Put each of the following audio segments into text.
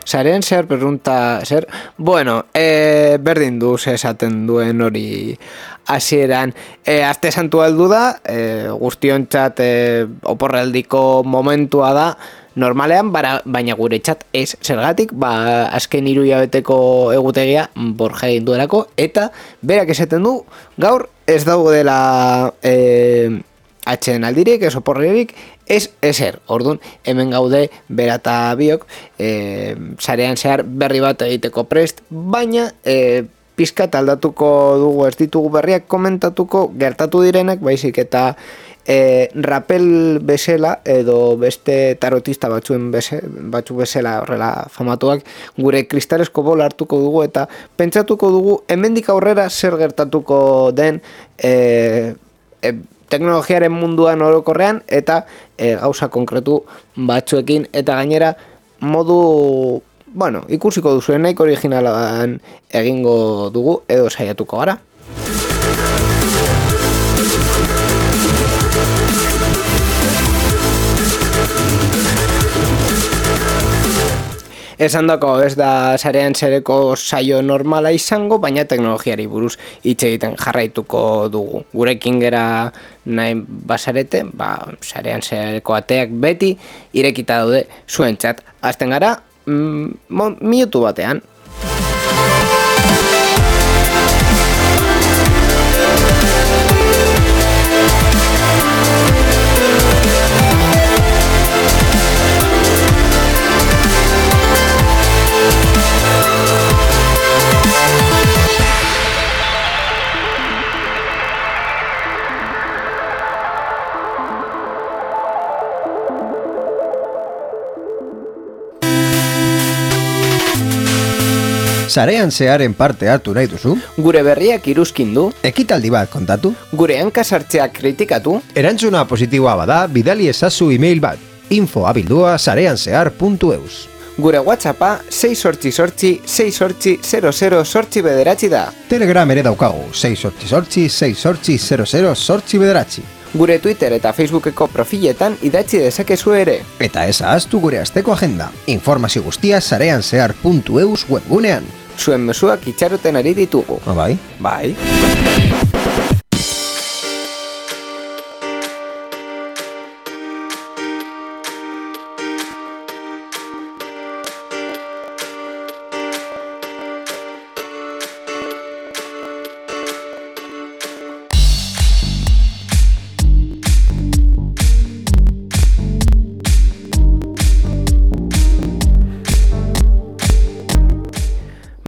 Zaren zer perrunta zer? Bueno, berdin du esaten duen hori hasieran. Aste santua heldu da, guztiontzat oporrealdiko momentua da, normalean, baina guretzat ez zergatik, azken 3 hilabeteko egutegia Borja egin duelako, eta berak esaten du, gaur ez daudela atxeden aldirik, ez oporrerik, ez ezer. Orduan, hemen gaude bera eta biok, sarean zehar berri bat egiteko prest, baina pizkat aldatuko dugu, ez ditugu berriak komentatuko, gertatu direnak, baizik eta rapel bezala, edo beste tarotista batzuk bezala horrela famatuak, gure kristalesko bola hartuko dugu, eta pentsatuko dugu, hemendik aurrera zer gertatuko den teknologiaren munduan orokorrean eta gauza konkretu batzuekin, eta gainera modu, ikusiko duzuen nahiko originalan egingo dugu edo saiatuko gara. Esan dako, ez da sarean zereko saio normala izango, baina teknologiari buruz hitz egiten jarraituko dugu. Gurekin gera nahi basarete, sarean zereko ateak beti irekita daude zuentzat. Hasten gara, minutu batean. Sarean zearen parte hartu nahi duzu? Gure berriak iruzkin du? Ekitaldi bat kontatu? Gure hankasartzeak kritikatu? Erantzuna positiboa bada, bidali ezazu email bat, info@sareanzehar.eus. Gure WhatsAppa 688-688-00-bederatzi da. Telegram ere daukagu, 688-688-00-bederatzi. Gure Twitter eta Facebookeko profiletan idatzi dezakezu ere. Eta ez ahaztu gure asteko agenda. Informazio guztia sareanzehar.eus webgunean. Zuen mezuak itxaroten ari ditugu. Bai? Bai.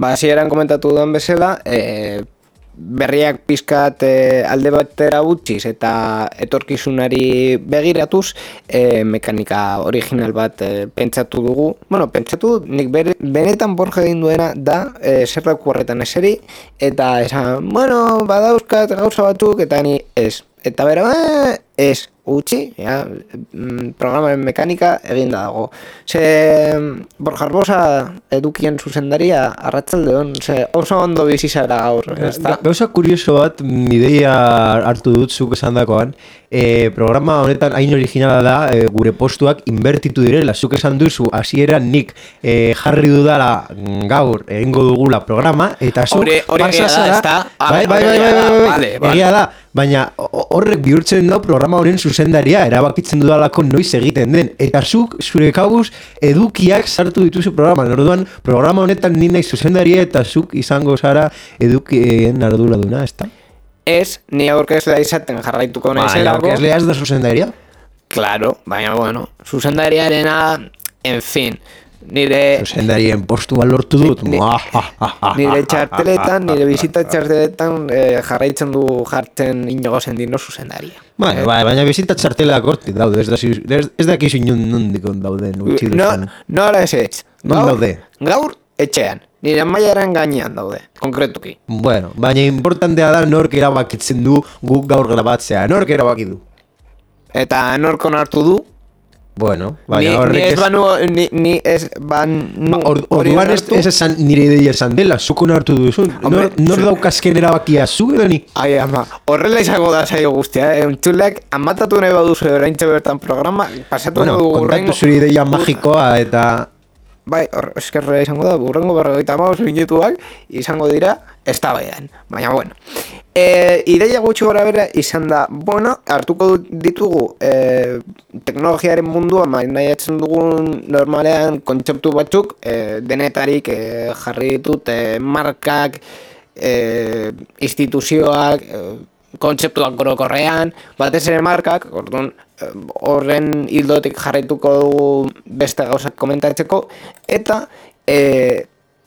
Hasieran komentatu duen bezala, berriak pizkat alde batera utziz eta etorkizunari begiratuz, mekanika original bat pentsatu dugu. Pentsatu nik benetan Borja egin duena da zer dauku horretan eseri, eta esan, badauzkat gauza batzuk, eta ni ez. Eta bera, ez utzi, programaren mekanika eginda dago. Borja Arbosa edukien zuzendaria arratsaldeon, oso ondo bizi zara gaur. Gauza kurioso bat, ideia hartu dut zuk esandakoan, programa honetan hain originala da, gure postuak inbertitu direla, zuk esan duzu hasieran nik jarri dudala gaur egingo dugula programa, eta zuk pasa zara, egia da, baina horrek bihurtzen da programa horren zuzendaria, erabakitzen dudalako noiz egiten den, eta zuk zure kabuz edukiak sartu dituzu programan. Orduan, programa honetan ni nahi zuzendaria eta zuk izango zara edukien arduraduna, ezta? Ez, ni aurkezlea izaten jarraituko nahizelako. Aurkezlea ez da zuzendaria? Claro, baina zuzendariarena, en fin, nire... Zuzendarien postua lortu dut. Nire txarteletan, nire bizita txarteletan jarraitzen du jartzen Inigo Sendino zuzendaria. Baina bizita txartelak hortik daude, ez dakizu nondikon dauden. Nola ez ez. Gaur etxean. Nire mailaren gainean daude, konkretuki. Bueno, baina importantea da nork erabakitzen du guk gaur grabatzea. Nork erabaki du? Eta nork onartu du? Bueno, baina horrek Ni ez banu... Orduan ez esan nire ideia esan dela, zuk onartu duzu. Nor daukazken erabakia, zu edo ni? Ai, ama, horrela izango da saio guztia, Entzulek, amatatu nahi baduzu oraintxe bertan programa, pasatu Bueno, dugu kontatu zure ideia magikoa eta... Bai, eskerrela izango da, burrengo 45 minutuak izango dira eztabaidan. Baina, bueno. Ideia gutxi gora bera izan da, bueno, hartuko ditugu teknologiaren mundua nahiatzen dugun normalean kontzeptu batzuk, denetarik jarri ditut markak, instituzioak, kontzeptuak orokorrean, batez ere markak, orduan, horren hildotik jarraituko dugu beste gauzak komentatzeko, eta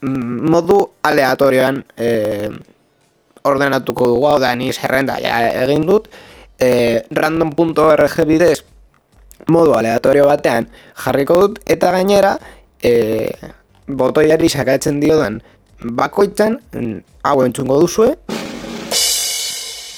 modu aleatorioan ordenatuko dugu, hau da, ni zerrenda ja egin dut, random.org bidez modu aleatorio batean jarriko dut, eta gainera botoiari sakatzen diodan bakoitzan hau entzungo duzue,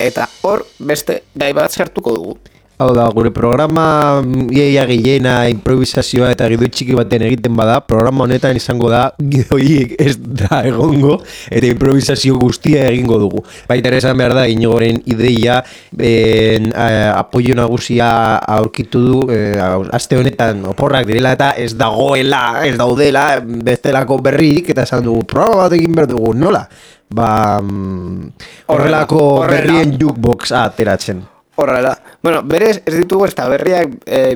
eta hor beste gai bat sartuko dugu. Hau da, gure programa iaia gehiena improvisazioa eta gidoi txiki baten egiten bada, programa honetan izango da gidoiek ez da egongo eta improvisazio guztia egingo dugu. Baita ere esan behar da, Inigoren ideia apoio nagusia aurkitu du, aste honetan oporrak direla eta ez dagoela, ez daudela bestelako berrik eta esan dugu, programa bat egin behar dugu, nola? Horrelako berrien jukebox ateratzen. Horrela, bueno, berez ez ditugu ez da berriak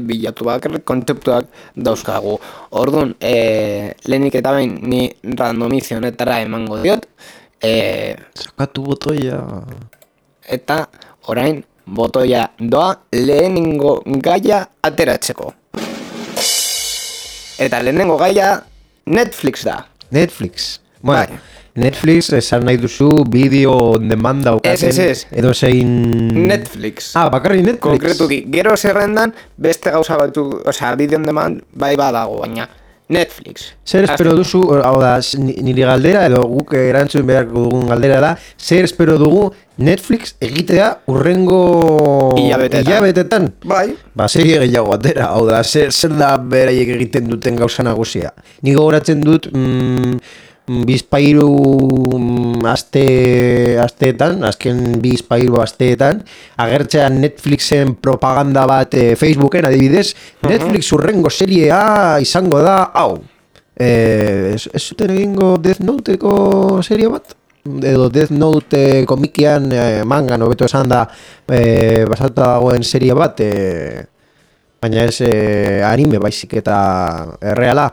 bilatu bakarrik kontzeptuak dauzkagu. Orduan, lehenik eta behin ni randomizio honetara emango diot. Sakatu botoia. Eta orain botoia doa lehenengo gaia ateratzeko. Eta lehenengo gaia Netflix da. Netflix. Bueno, Netflix esan nahi duzu bideo on demand daukaten. Edo zein... Netflix. Bakarri Netflix. Konkretuki, gero zerrendan beste gauza batu, bideo on demand bai badago, baina Netflix. Zer espero duzu, hau da, nire galdera, edo guk erantzun beharko dugun galdera da, zer espero dugu Netflix egitea urrengo hilabetetan. Bai. Serie gehiago atera, hau da, zer da beraiek egiten duten gauza nagusia. Ni gogoratzen dut, bizpairu asteetan, azken bizpairu asteetan, agertzean Netflixen propaganda bat Facebooken adibidez, Netflix urrengo seriea izango da, hau. Ez zuten egingo Death Noteko serie bat? Edo Death Note komikian mangan, hobeto esan da, basatuta dagoen serie bat, baina ez anime baizik eta erreala.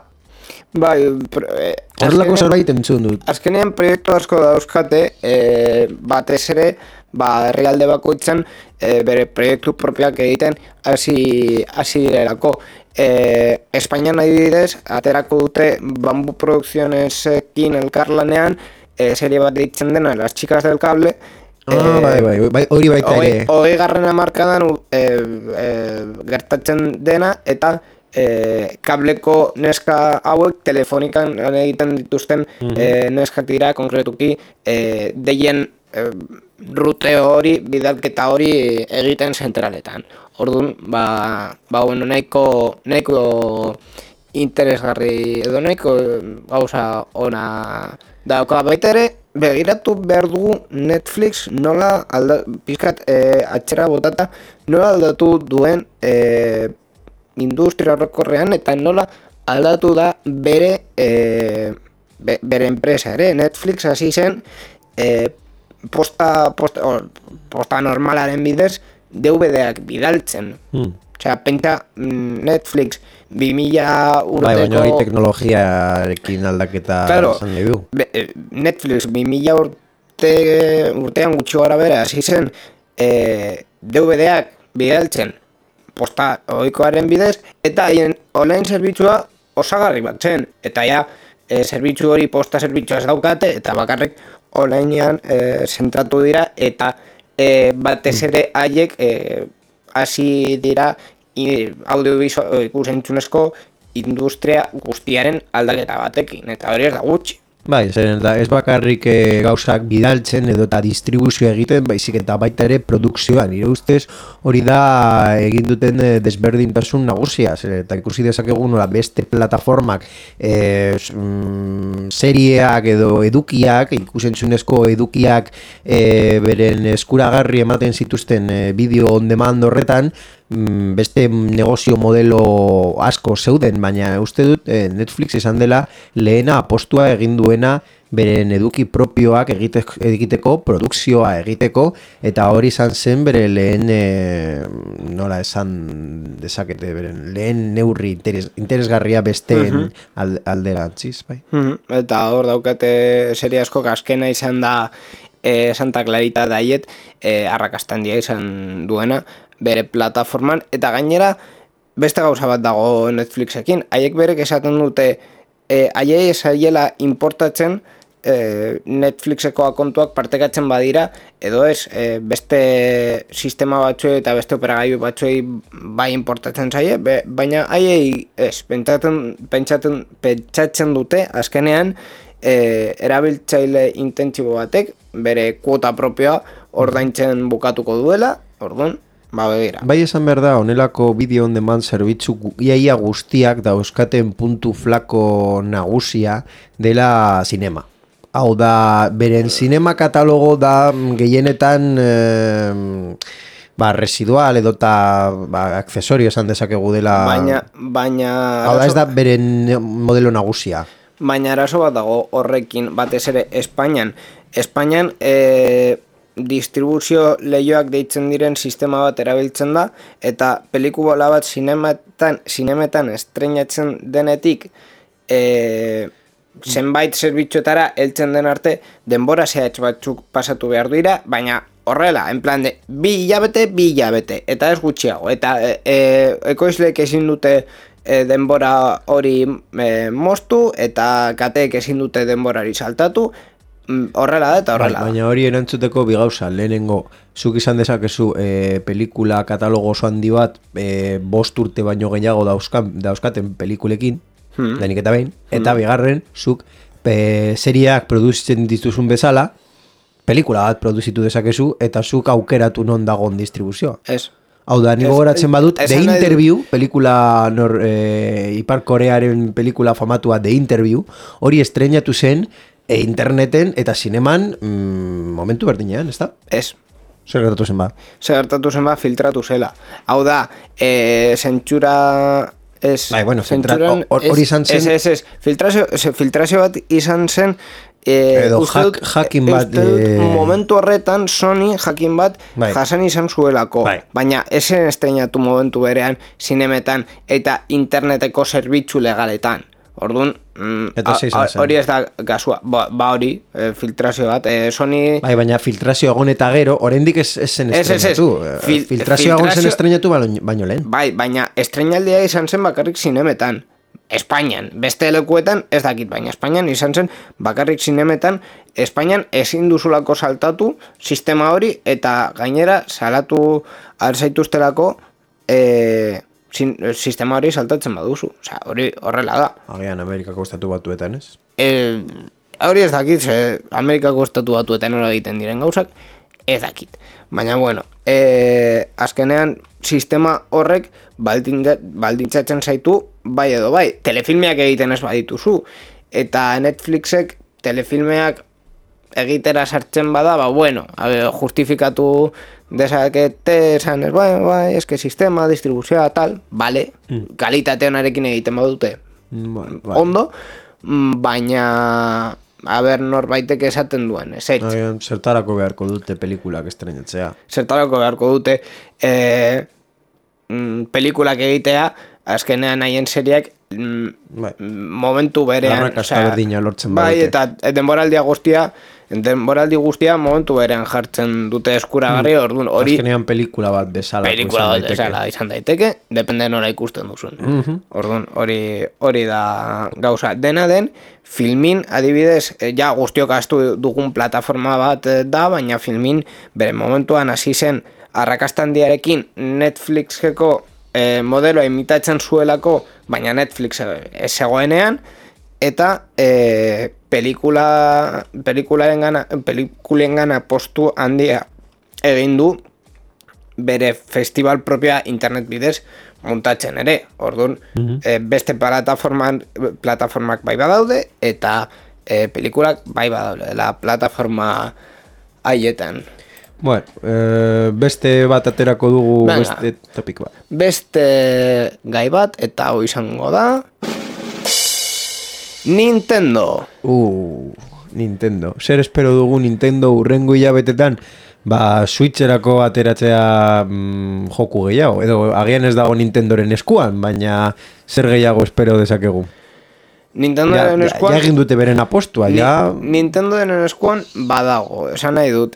Bai, horrelako zerbait entzun dut. Azkenean proiektu asko dauzkate, batez ere, herrialde bakoitzan bere proiektu propioak egiten hasi direlako. Espainian adibidez, aterako dute Bambu Produccionesekin elkarlanean, serie bat deitzen dena, Las Chicas del Cable. Bai, hori baita ere. 20. hamarkadan gertatzen dena, eta kableko neska hauek telefonikan egiten dituzten neskak dira, konkretuki deien rute hori, bidalketa hori egiten zentraletan. Orduan, bueno, nahiko interesgarri edo nahiko gauza ona dauka. Baita ere, begiratu behar dugu Netflix nola pizkat atxera botata nola aldatu duen industria horrekorrean eta nola aldatu da bere enpresa ere. Netflix hasi zen posta normalaren bidez DVD-ak bidaltzen. Osea, pentsa Netflix 2000 urteko... baina hori teknologiarekin aldaketa esan nahi du. Netflix 2000 urtean gutxi gara bera hasi zen DVD-ak bidaltzen posta ohikoaren bidez, eta haien online zerbitzua osagarri bat zen. Eta ja, zerbitzu hori posta zerbitzua ez daukate, eta bakarrik onlinean zentratu dira, eta batez ere haiek hasi dira audiovisual ikusentzunezko industria guztiaren aldaketa batekin, eta hori ez da gutxi. Bai, zeren da, ez bakarrik gauzak bidaltzen edo eta distribuzioa egiten, baizik eta baita ere produkzioan. Nire ustez hori da egin duten desberdintasun nagusia, eta ikusi dezakegu nola beste plataformak serieak edo edukiak, ikusentzunezko edukiak beren eskuragarri ematen zituzten bideo on demand horretan, beste negozio modelo asko zeuden, baina uste dut Netflix izan dela lehena apostua egin duena beren eduki propioak egiteko, produkzioa egiteko, eta hori izan zen bere lehen nola esan dezakete, beren lehen neurri interesgarria besteen alderantziz, bai. Eta hor daukate serie asko azkena izan da Santa Clarita Diet arrakasta handia izan duena bere plataforman, eta gainera beste gauza bat dago Netflixekin, haiek berek esaten dute haiei esaiela importatzen Netflixeko akontuak partekatzen badira, edo ez beste sistema batzuei eta beste operagailu batzuei bai importatzen zaie, baina haiei ez, pentsatzen dute azkenean erabiltzaile intentsibo batek bere kuota propioa ordaintzen bukatuko duela, orduan begira. Bai esan behar da, honelako bideo on demand zerbitzu iaia guztiak dauzkaten puntu flako nagusia dela sinema. Hau da, beren sinema katalogo da gehienetan residual edo eta aksesorio esan dezakegu dela. Baina hau da, ez da beren modelo nagusia. Baina arazo bat dago horrekin, batez ere Espainian distribuzio lehioak deitzen diren sistema bat erabiltzen da, eta pelikula bat zinemetan estreinatzen denetik zenbait zerbitzuetara heltzen den arte denbora zehatz batzuk pasatu behar dira, baina horrela, en plan de bi hilabete, eta ez gutxiago, eta ekoizleek ezin dute denbora hori moztu, eta kateek ezin dute denborari saltatu, horrela da eta horrela. Baina hori erantzuteko bi gauza, lehenengo, zuk izan dezakezu pelikula katalogo oso handi bat 5 urte baino gehiago dauzkaten pelikulekin, denik eta behin, eta bigarren, zuk serieak produzitzen dituzun bezala, pelikula bat produzitu dezakezu, eta zuk aukeratu non dagoen distribuzioa. Ez. Hau da, niko goratzen badut, The Interview, pelikula Ipar Korearen pelikula famatua The Interview, hori estreinatu zen interneten eta zineman momentu berdinean, ez da? Ez. Zer gertatu zen ba? Filtratu zela. Hau da, zentsura... Bai, bueno, hori izan zen... Ez, filtrazio bat izan zen... Edo jakin bat... Momentu horretan, Sony jakin bat jasan izan zuelako. Baina, esen estreinatu momentu berean, zinemetan eta interneteko zerbitzu legaletan. Orduan, hori ez da gasua, hori, filtrazio bat, Sony... Baina filtrazio agon eta gero, oraindik ez zen estrenatu. Filtrazio agon zen estrenatu baino lehen. Bai, baina estrenaldia izan zen bakarrik zinemetan. Espainian, beste lekuetan ez dakit, baina Espainian izan zen bakarrik zinemetan, Espainian ezin duzulako saltatu sistema hori, eta gainera salatu alzaituztelako sistema hori saltatzen baduzu. Osea, hori horrela da. Agian Amerikako estatu batuetan, ez? Hori ez dakit, Amerikako estatu batuetan hori egiten diren gauzak, ez dakit. Baina, bueno, azkenean sistema horrek baldintzatzen zaitu bai edo bai. Telefilmeak egiten ez badituzu. Eta Netflixek telefilmeak egitera sartzen bada, justifikatu dezakete esan ez, bai, eske sistema, distribuzioa, tal, bale, kalitate honarekin egiten badute, ondo, baina, norbaitek esaten duen, zertarako beharko dute pelikulak estrenatzea. Zertarako beharko dute pelikulak egitea, azkenean haien seriak momentu berean. Arrakasta berdina lortzen badute. Bai, eta denboraldi guztia momentu berean jartzen dute eskuragarri, orduan hori... Azkenean pelikula bat bezala. Pelikula bat bezala izan daiteke, depende nora ikusten duzun. Orduan hori da gauza. Dena den, Filmin, adibidez, ja guztiok astu dugun plataforma bat da, baina Filmin bere momentuan hasi zen arrakasta handiarekin Netflixeko modeloa imitatzen zuelako, baina Netflix ez zegoenean, eta pelikulengana postu handia egin du bere festival propia internet bidez montatzen ere. Orduan, beste plataformak bai badaude eta pelikulak bai badaude la plataforma haietan. Bueno, beste bat aterako dugu. Venga, beste topik bat. Beste gai bat eta hau izango da Nintendo. Nintendo. Zer espero dugu Nintendo urrengo hilabetetan? Switcherako ateratzea joku gehiago, edo agian ez dago Nintendoren eskuan, baina zer gehiago espero dezakegu. Nintendoren eskuan... Ja egin dute beren apostua, ja... Nintendoren eskuan badago, esan nahi dut.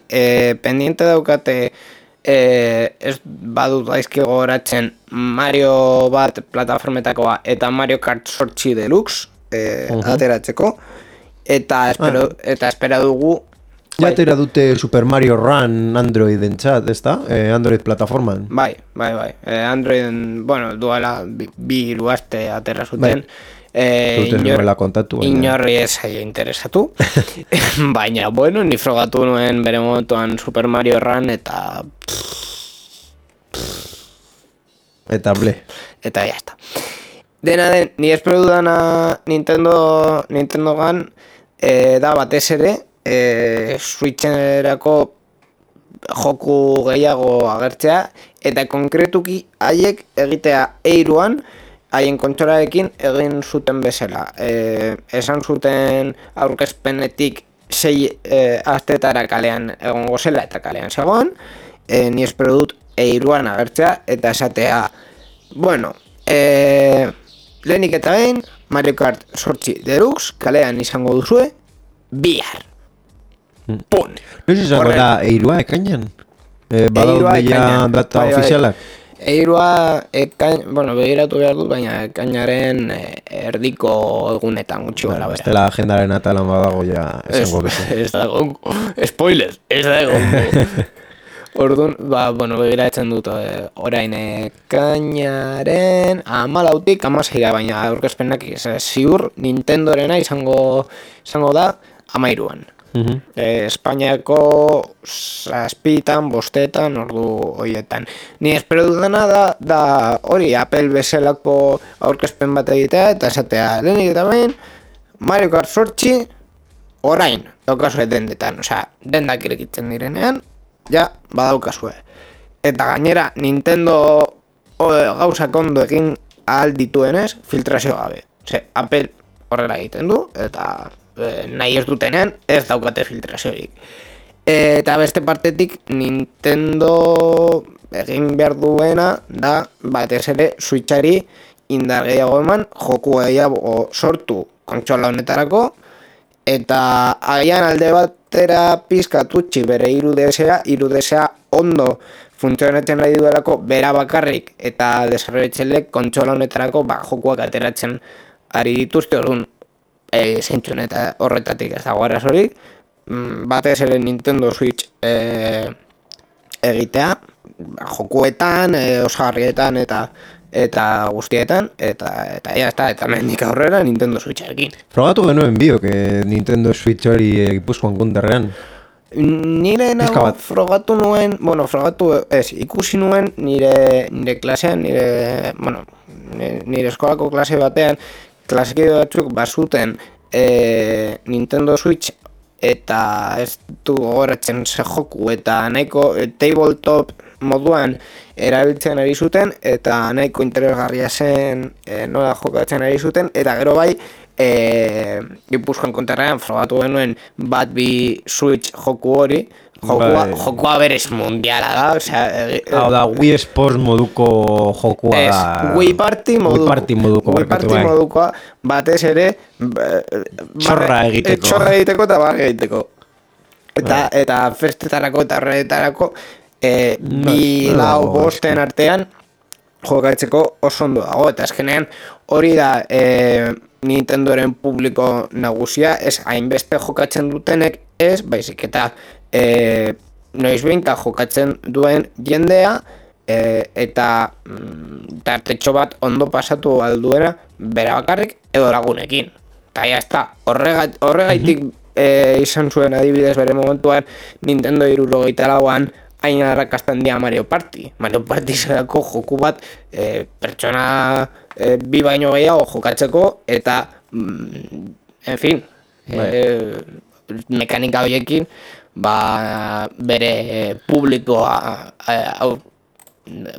Pendiente daukate, ez badut daizki gogoratzen Mario bat plataformetakoa eta Mario Kart 8 Deluxe ateratzeko. Eta espera dugu... Ja atera dute Super Mario Run Androidentzat, ez da? Android plataforman. Bai. Androiden, bueno, duela bi aste atera zuten. Inorri ez aia interesatu. Baina, bueno, ni frogatu nuen bere momentuan Super Mario Run eta... Eta ble. Eta ya está. Dena den, ni espero dudana Nintendogan da batez ere, Switcherako joku gehiago agertzea eta konkretuki haiek egitea eiruan haien kontsolarekin egin zuten bezala. Esan zuten aurkezpenetik 6 astetara kalean egongo zela eta kalean zegoen. Ni espero dut eiruan agertzea eta esatea, bueno, lehenik eta behin Mario Kart 8 Deluxe kalean izango duzue bihar. Pun. No sé si da eirua ekainan. Badaude ja data ofizialak. Eirua bueno, begiratu behar dut, baina ekainaren erdiko egunetan gutxi gara bera. Estela agendaren atalan badago ja esango beze. Ez dago, spoiler, ez dago. Orduan, bueno, begiratzen dut orain ekainaren 14tik 16, baina aurkezpenak ziur Nintendorena izango da 13an. Espainiako 7tan, 5tan, ordu horietan. Ni espero dudana da hori Apple bezalako aurkezpen bat egitea eta esatea lehenik eta behin Mario Kart 8 orain daukazue dendetan, osea, dendak irekitzen direnean ja badaukazue. Eta gainera Nintendo gauzak ondo egin ahal dituenez filtrazio gabe. Apple horrela egiten du eta nahi ez dutenean ez daukate filtraziorik. Eta beste partetik Nintendo egin behar duena da batez ere Switchari indar gehiago eman, joku gehiago sortu kontsola honetarako eta agian alde batera pizkat utzi bere 3DSa ondo funtzionatzen nahi duelako bera bakarrik eta desarrollatzailek kontsola honetarako jokuak ateratzen ari dituzte. Orduan zentzun eta horretatik ez dago arazorik, batez ere Nintendo Switch egitea jokuetan, osagarrietan eta guztietan eta mendik aurrera Nintendo Switcherekin. Frogatu genuen biok Nintendo Switch hori Gipuzkoan kunderrean. Nire nago frogatu nuen, ikusi nuen nire klasean, nire eskolako klase batean klasekide batzuk bazuten Nintendo Switch eta ez du gogoratzen ze joku eta nahiko tabletop moduan erabiltzen ari zuten eta nahiko interesgarria zen nola jokatzen ari zuten eta gero bai Gipuzkoan konterrean frogatu genuen bat bi Switch joku hori. Jokua berez mundiala da, hau da, Wii Sports moduko jokua da. Wii Party modukoa, batez ere txorra egiteko eta barra egiteko. Eta festetarako eta horretarako bi lau bosten artean jokatzeko oso ondo dago. Eta azkenean hori da Nintendoren publiko nagusia, ez hainbeste jokatzen dutenek ez, baizik eta noizbeinka jokatzen duen jendea eta tartetxo bat ondo pasatu alduera bera bakarrik edo lagunekin. eta ya está. Horregaitik izan zuen adibidez bere momentuan Nintendo 64an hain arrakastan dia Mario Party. Mario Party zelako joku bat pertsona bi baino gehiago jokatzeko eta en fin mekanika horiekin bere publikoa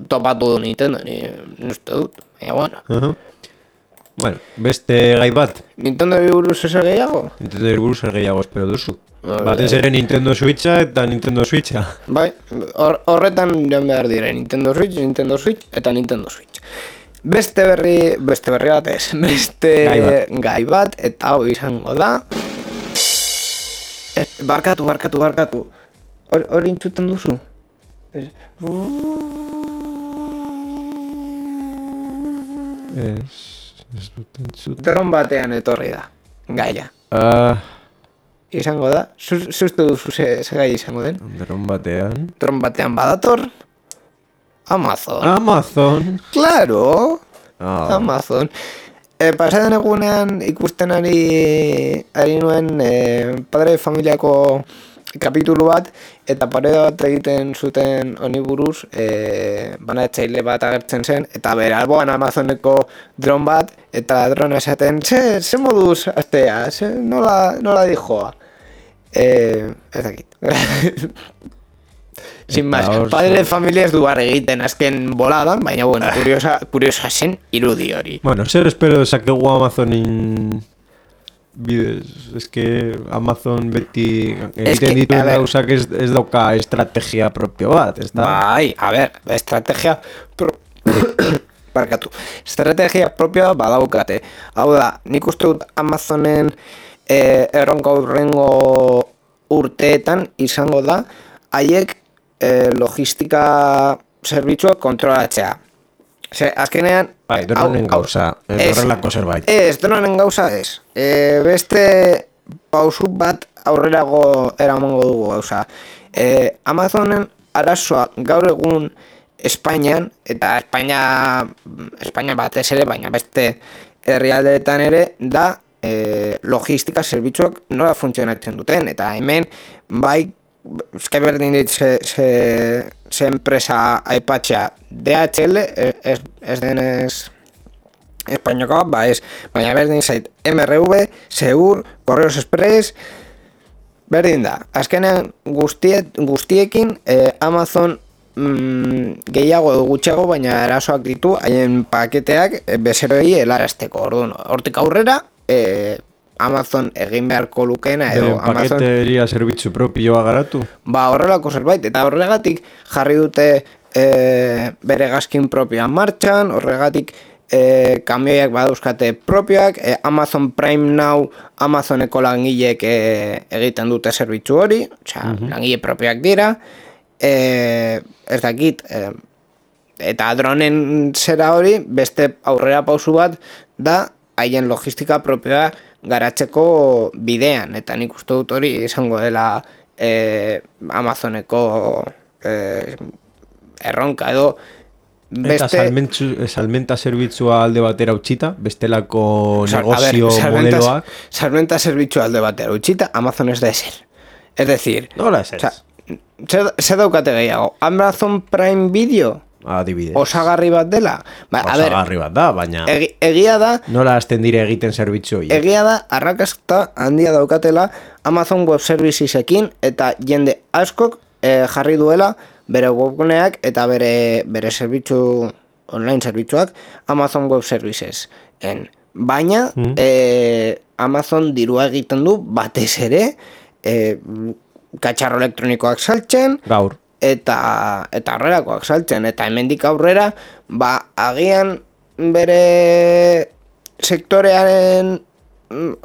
topatu du Nintendo, ni uste dut, baina bueno. Bueno, beste gai bat. Nintendo buruz ezer gehiago? Nintendo buruz ezer gehiago espero duzu. Batez ere Nintendo Switcha eta Nintendo Switcha. Bai, horretan joan behar dire Nintendo Switch eta Nintendo Switch. Beste berri bat ez, beste gai bat, eta hau izango da. Barkatu. Hori entzuten duzu? Ez dut entzuten. Dron batean etorri da, gaia. Izango da, zuztu duzu ze gai izango den? Dron batean. Dron batean badator? Amazon. Claro, Amazon. Pasaden egunean ikusten ari nuen Padre de Familiako kapitulu bat, eta pareda bat egiten zuten honi buruz, banatzaile bat agertzen zen, eta bere alboan Amazoneko dron bat, eta drona esaten, ze moduz astea, nola dijoa. Ez dakit. Sin más, Padre de Familia ez du bar egiten azken boladan, baina bueno, kuriosa zen irudi hori. Bueno, zer espero dezakegu Amazonin bidez, eske Amazon beti egiten dituen gauzak ez dauka estrategia propio bat, ez da? Bai, a ver, estrategia estrategia propioa badaukate. Hau da, nik uste dut Amazonen erronka urrengo urteetan izango da haiek logistika zerbitzuak kontrolatzea. Azkenean bai, dronen gauza, horrelako zerbait. Dronen gauza ez. Beste pausu bat aurrerago eramango dugu gauza. Amazonen arazoa gaur egun Espainian, eta Espainia batez ere, baina beste herrialdeetan ere, da logistika zerbitzuak nola funtzionatzen duten. Eta hemen, bai, eske berdin dit ze enpresa aipatzea DHL, ez denez Espainiakoa, baina berdin zait MRV, Seur, Correos Express, berdin da. Azkenean guztiekin Amazon gehiago edo gutxiago, baina erasoak ditu haien paketeak bezeroei helarazteko. Orduan, hortik aurrera Amazon egin beharko lukena edo paketeria zerbitzu propioa garatu? Horrelako zerbait, eta horregatik jarri dute bere gazkin propioa martxan, horregatik kamioiak badauzkate propioak, Amazon Prime Now Amazoneko langileek egiten dute zerbitzu hori, langile propioak dira, ez dakit, eta dronen zera hori, beste aurrera pausu bat da haien logistika propioa garatzeko bidean, eta nik uste dut hori izango dela Amazoneko erronka edo beste... Eta salmenta zerbitzua alde batera utxita, bestelako negozio modeloak... Salmenta zerbitzua alde batera utxita, Amazon ez da eser. Es decir... Nola eser? Zer daukate gehiago, Amazon Prime Video... Adibidez. Osagarri bat dela. Osagarri bat da, baina... Egia da... Nola hasten dire egiten zerbitzu hori? Egia da, arrakasta handia daukatela Amazon Web Servicesekin eta jende askok jarri duela bere webguneak eta bere zerbitzu, online zerbitzuak Amazon Web Services. Baina, Amazon dirua egiten du batez ere katxarro elektronikoak saltzen... Gaur. Eta horrelakoak saltzen, eta hemendik aurrera, agian bere sektorearen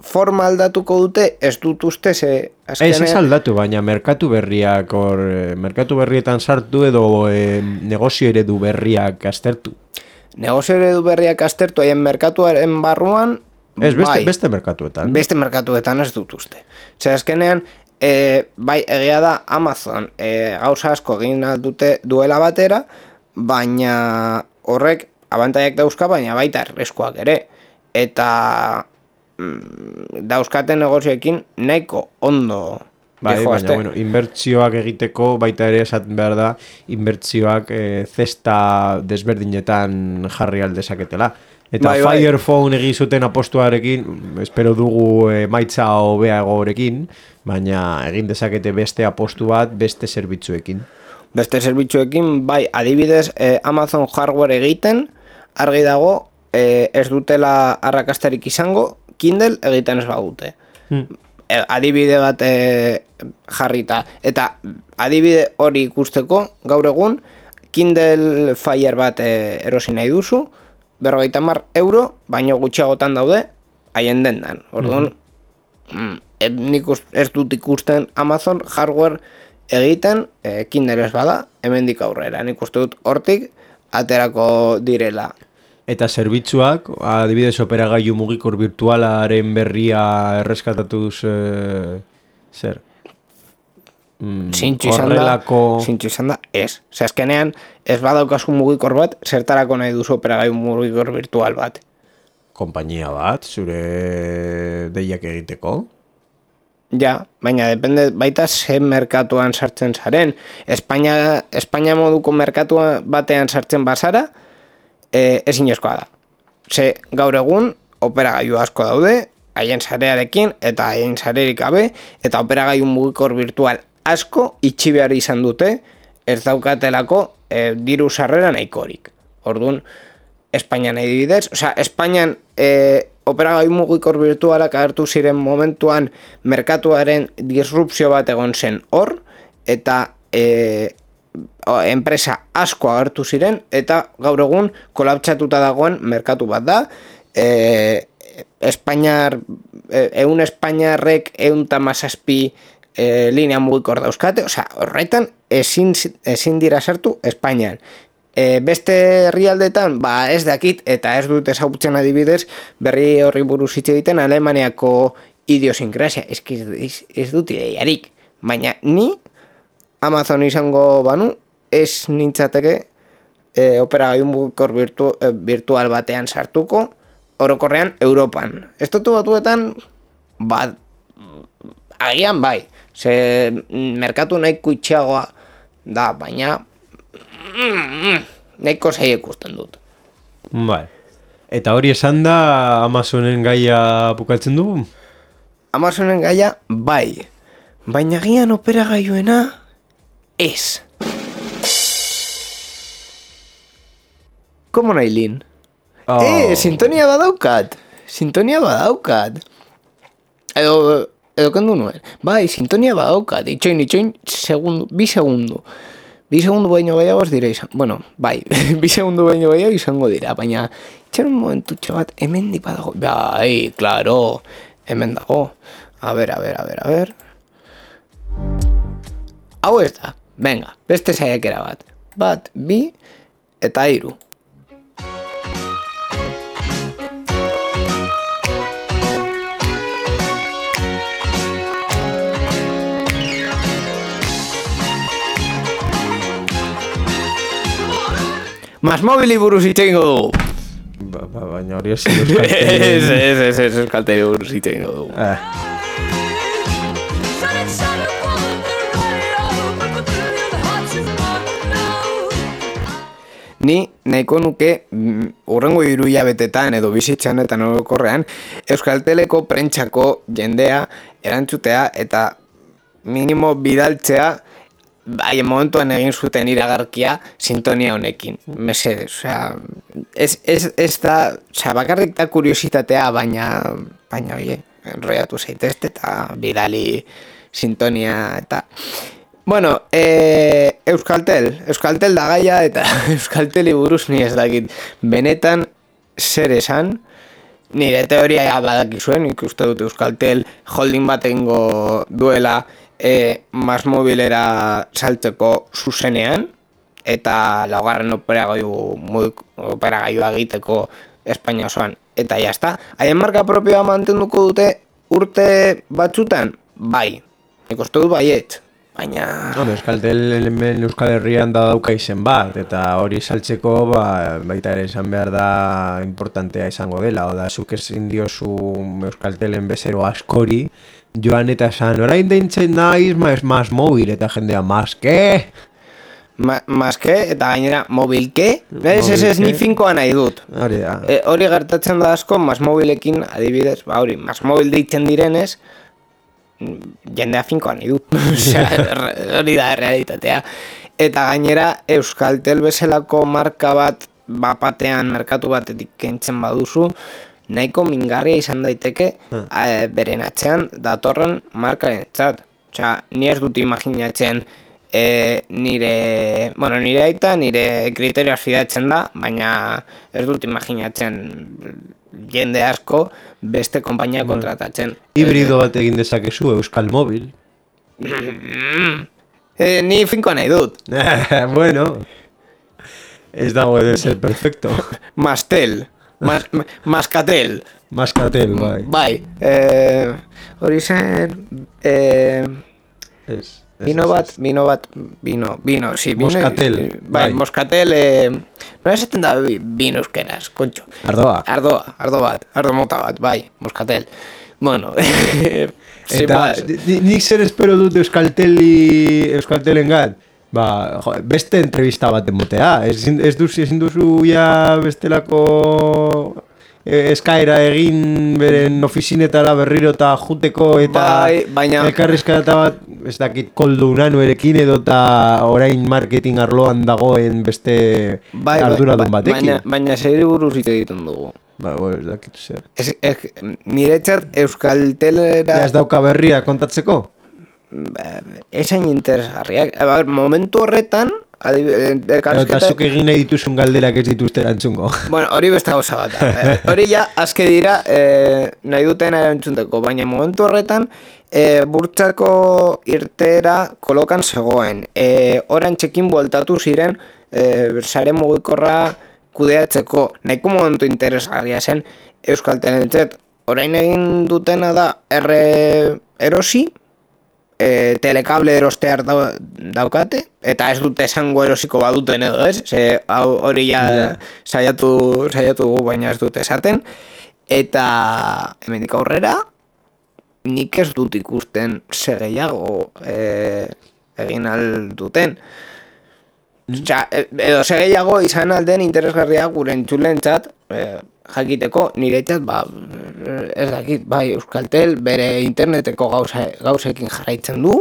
forma aldatuko dute, ez dut uste ze... Ez aldatu, baina merkatu berrietan sartu edo negozio eredu berriak aztertu. Negozio eredu berriak aztertu, haien merkatuaren barruan... Ez, beste merkatuetan. Beste merkatuetan ez dut uste. Zer azkenean... bai, egia da Amazon gauza asko egin dute duela batera, baina horrek abantaiak dauzka, baina baita erreskoak ere. Eta dauzkaten negozioekin nahiko ondo. Bai, baina, bueno, inbertsioak egiteko baita ere esaten behar da, inbertsioak zesta desberdinetan jarri aldezaketela. Eta bai. Fire Phone egin zuten apostuarekin, espero dugu emaitza hobeagorekin, baina egin dezakete beste apostu bat beste zerbitzuekin. Beste zerbitzuekin, bai, adibidez Amazon hardware egiten, argi dago, ez dutela arrakastarik izango, Kindle egiten ez badute. Adibide bat jarrita. Eta adibide hori ikusteko, gaur egun, Kindle Fire bat erosi nahi duzu, €50, baino gutxiagotan daude, haien dendan. Orduan, nik ez dut ikusten Amazon hardware egiten, Kindle ez bada, hemendik aurrera. Nik uste dut hortik aterako direla. Eta zerbitzuak, adibidez operagailu mugikor virtualaren berria erreskatatuz zer? Zintxu izan da, ez. Azkenean, ez badaukazu mugikor bat, zertarako nahi duzu operagailu mugikor virtual bat. Konpainia bat, zure deiak egiteko? Ja, baina depende baita ze merkatuan sartzen zaren. Espainia moduko merkatua batean sartzen bazara, ezinezkoa da. Ze gaur egun operagailu asko daude, haien sarearekin eta haien sarerik gabe, eta operagailu mugikor virtual asko itxi behar izan dute, ez daukatelako diru sarrera nahikorik. Orduan, Espainian adibidez, Espainian operagailu mugikor virtualak agertu ziren momentuan merkatuaren disrupzio bat egon zen hor, eta enpresa asko agertu ziren, eta gaur egun kolapsatuta dagoen merkatu bat da. Espainiarrek 117 linea mugikor dauzkate, horretan ezin dira sartu Espainian. Beste herrialdetan, ez dakit, eta ez dut ezagutzen adibidez, berri horri buruz hitz egiten Alemaniako idiosinkrazia, ez dut ideiarik, baina ni Amazon izango banu, ez nintzateke operagailu mugikor virtual batean sartuko, orokorrean Europan. Estatu batuetan, agian bai, ze merkatu nahiko itxeagoa da, baina nahiko zaila ikusten dut. Bai. Eta hori esan da Amazonen gaia bukatzen dugu? Amazonen gaia, bai. Baina gian operagailuena, ez. Komo nahi lin? Sintonia badaukat. Edo kendu nuen. Bai, sintonia badaukat. Itxoin, bi segundu. Bi segundu baino gehiago ez dira izan. Bueno, bai, bi segundu baino gehiago izango dira, baina itxaron momentutxo bat, hemen dipa dago. Bai, klaro, hemen dago. A ver. Hau ez da, venga, beste saiakera bat. Bat, bi, eta 3. Masmobili buruz hitz egingo dugu. Baina hori ez euskalteri. Ez euskalteri buruz hitz egingo dugu. Ni nahiko nuke hurrengo 3 hilabetetan edo bizitzan eta orokorrean Euskalteleko prentsako jendea erantzutea eta minimo bidaltzea momentuan egin zuten iragarkia sintonia honekin. Mesedez, ez da, bakarrik da kuriositatea, baina oie, enroiatu zaitezte eta bidali sintonia eta... Bueno, Euskaltel da gaia eta Euskalteli buruz ni ez dakit. Benetan zer esan, nire teoria badakizuen, ikuste dut Euskaltel holding bat egingo duela Masmobilera saltzeko zuzenean, eta laugarren operagailua egiteko Espainia osoan, eta jazta. Haien marka propioa mantenduko dute urte batzutan? Bai, ikuste dut baiet. baina... Euskaltel hemen Euskal Herrian da dauka izen bat, eta hori saltzeko baita ere esan behar da importantea izango dela, oda zuk ezin diozu Euskaltelen bezero askori, joan eta esan, orain deintzen naiz, mas mobil, eta jendea, mas ke? Mas ke, eta gainera, mobil ke? Ez ni finkoa nahi dut. Hori gertatzen da asko, mas mobilekin, adibidez, hori, mas mobil deitzen direnez, jendea finkoa nahi dut. Hori da realitatea. Eta gainera, Euskaltel bezalako marka bat, bapatean, merkatu batetik kentzen baduzu, nahiko mingarria izan daiteke beren atzean datorren markaren txat. Ni ez dut imaginatzen nire aita, nire kriterioaz fidatzen da, baina ez dut imaginatzen jende asko beste konpainia kontratatzen. Hibrido bat egin dezakezu Euskal Mobil. Ni finkoa nahi dut. Bueno, ez dago de ser perfecto. Mastel. Maskatel. Maskatel, bai. Bai. Hori zen... Vino, sí. Moscatel. Bai, Moscatel... No esaten da vino euskeraz, kontxo. Ardo mota bat, bai, Moscatel. Bueno... Eta nik zer espero dut Euskaltelen gat? Beste entrevista bat emotea. Ez duzu ja bestelako eskaera egin beren ofizinetara berriro eta juteko eta elkarrizketa bat, ez dakit koldo unanu erekin edo eta orain marketing arloan dagoen beste arduradun batekin. Baina segiri buruz ite egiten dugu. Ez dakit zer. Niretzat Euskaltelera... Ez dauka berria kontatzeko? Esain interesgarriak. Momentu horretan... Eta zuk egin nahi dituzun galderak ez dituzte erantzungo. Bueno, hori beste gauza bat. Hori ja, azke dira, nahi duten erantzunteko, baina momentu horretan, burtsako irtera kolokan zegoen. Oran txekin bueltatu ziren, sare mugikorra kudeatzeko. Nahiko momentu interesgarria zen Euskaltelentzat. Orain egin dutena da, erosi, telekable erostear daukate, eta ez dute esango erosiko baduten edo ez, hori ja saiatu dugu, baina ez dute esaten, eta hemendik aurrera nik ez dut ikusten segeiago egin alduten. Edo segeiago izan alden interesgarria gure entzulentzat, jakiteko niretzat, ez dakit, bai, Euskaltel bere interneteko gauzekin jarraitzen du,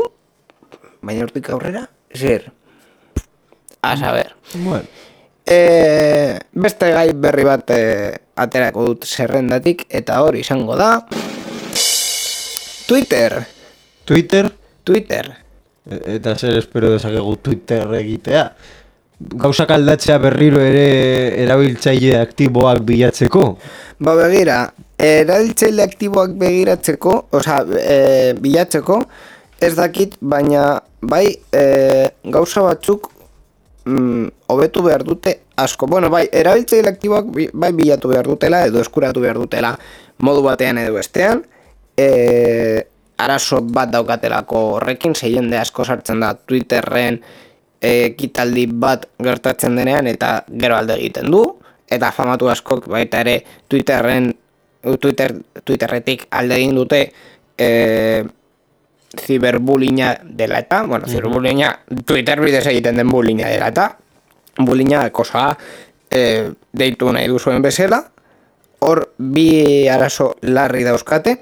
baina hortik aurrera, zer? A saber. Bueno. Beste gai berri bat aterako dut zerrendatik, eta hori izango da... Twitter. Eta zer espero dezakegu Twitter egitea? Gauzak aldatzea berriro ere erabiltzaile aktiboak bilatzeko? Begira, erabiltzaile aktiboak bilatzeko, ez dakit, baina bai gauza batzuk hobetu behar dute asko. Bueno, bai, erabiltzaile aktiboak bai bilatu behar dutela edo eskuratu behar dutela modu batean edo bestean. Arazo bat daukatelako horrekin, jende asko sartzen da Twitterren ekitaldi bat gertatzen denean eta gero alde egiten du, eta famatu askok baita ere Twitterretik alde egin dute ziberbullyinga dela eta, bueno, ziberbullyinga Twitter bidez egiten den bullyinga dela eta, bullyinga kosa deitu nahi duzuen bezala, hor bi arazo larri dauzkate,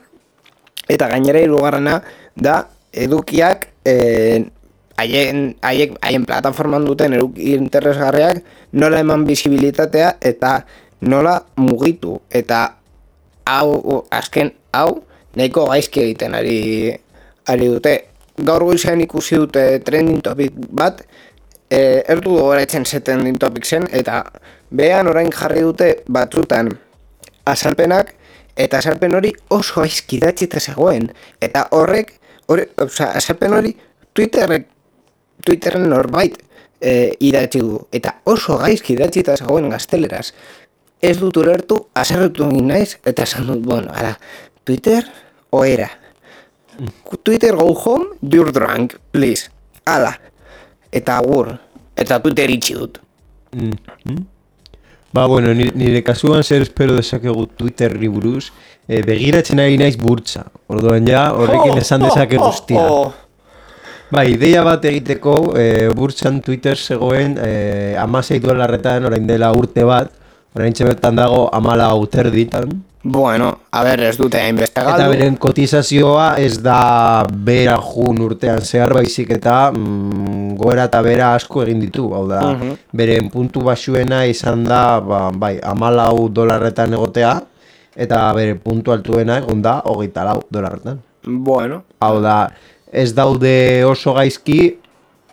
eta gainera hirugarrena da edukiak haien plataforman duten eduki interesgarriak nola eman bizibilitatea eta nola mugitu, eta azken hau nahiko gaizki egiten ari dute. Gaur goizean ikusi dute trending topic bat, erdu gogoratzen ze trending topic zen, eta behan orain jarri dute batzutan azalpenak, eta azalpen hori oso gaizki idatzita zegoen, eta azalpen hori Twitterren norbait idatzi du, eta oso gaizki idatzita zegoen gazteleraz. Ez dut ulertu, azerretu egin naiz, eta esan dut, bueno, ara, Twitter, oera. Twitter, go home, you're drunk, please. Hala, eta agur, eta Twitter itxi dut. Ba, bueno, nire kasuan zer espero desakegu Twitterri buruz, begiratzen ari naiz burtsa. Orduan ja, horrekin esan dezake guztia. Ba, ideia bat egiteko, burtsan Twitter zegoen $16 orain dela urte bat, orain txebetan dago 14 terditan. Bueno, a ber, ez dute hainbeste galdu. Eta beren kotizazioa ez da bera jun urtean zehar baizik eta gora eta bera asko egin ditu. Hau da, beren puntu basuena izan da, bai, $14 egotea, eta bere puntu altuena egon da $24. Bueno. Hau da, ez daude oso gaizki,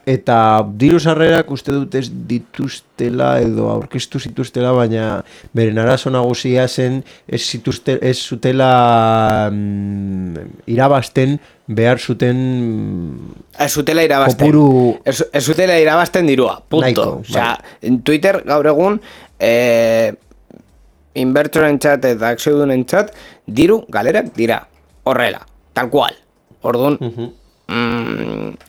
eta diru sarrerak uste dut ez dituztela edo aurkeztu zituztela, baina beren arazo nagusia zen ez zutela irabazten behar zuten ez zutela irabazten kopuru ez zutela irabazten dirua, punto. Naiko, osea, Twitter gaur egun inbertsoren txat eta akziodunen txat diru galerak dira, horrela, tal cual. Orduan,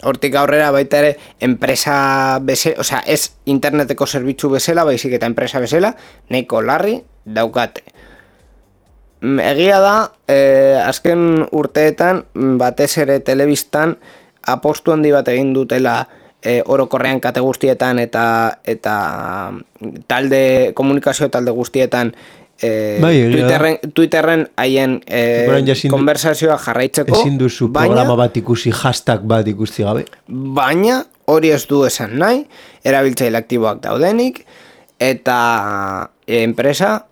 hortik aurrera baita ere enpresa bezala, osea, ez interneteko zerbitzu bezala, baizik eta enpresa bezala, nahiko larri daukate. Egia da, azken urteetan, batez ere telebistan, apostu handi bat egin dutela orokorrean kate guztietan eta komunikazio talde guztietan Twitterren haien konversazioa jarraitzeko, ezin duzu programa bat ikusi, hashtag bat ikusi gabe. Baina hori ez du esan nahi, erabiltzaile aktiboak daudenik, eta enpresa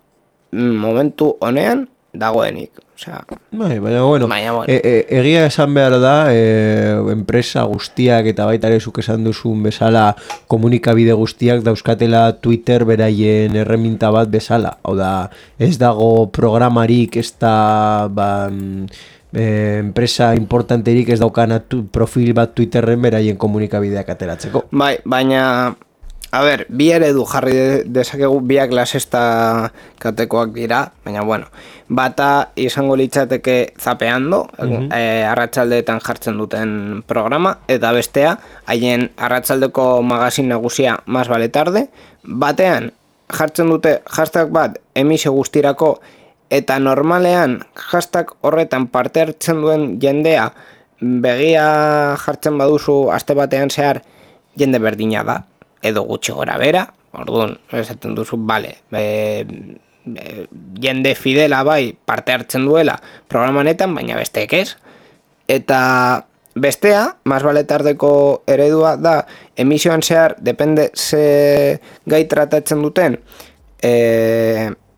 momentu honean dagoenik. Osea, baina bueno, egia esan behar da, enpresa guztiak eta baita ere zuk esan duzun bezala komunikabide guztiak dauzkatela Twitter beraien erreminta bat bezala. Hau da, ez dago programarik, ez da enpresa importanterik ez daukana profil bat Twitterren beraien komunikabideak ateratzeko. Bai, baina a ber, bi eredu jarri dezakegu, biak lasesta katekoak dira, baina bueno, bata izango litzateke zapeando, arratsaldeetan jartzen duten programa, eta bestea, haien arratsaldeko magazin nagusia Más vale tarde, batean jartzen dute hashtag bat emisio guztirako, eta normalean hashtag horretan parte hartzen duen jendea begia jartzen baduzu aste batean zehar jende berdina da, edo gutxi gora bera, orduan, esaten duzu, bale, jende fidela bai parte hartzen duela programanetan, baina besteek ez, eta bestea, Más vale tardeko eredua da, emisioan zehar, depende ze gai tratatzen duten,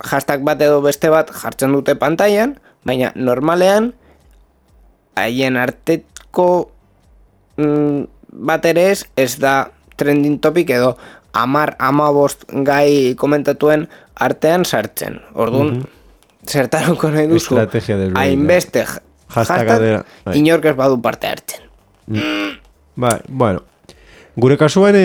hashtag bat edo beste bat jartzen dute pantailan, baina normalean, haien arteko bat ere ez da trending topic edo 10-15 gai komentatuen artean sartzen. Orduan, zertarako nahi duzu, hainbeste hashtag inork ez badu parte hartzen. Bai, bueno, gure kasuan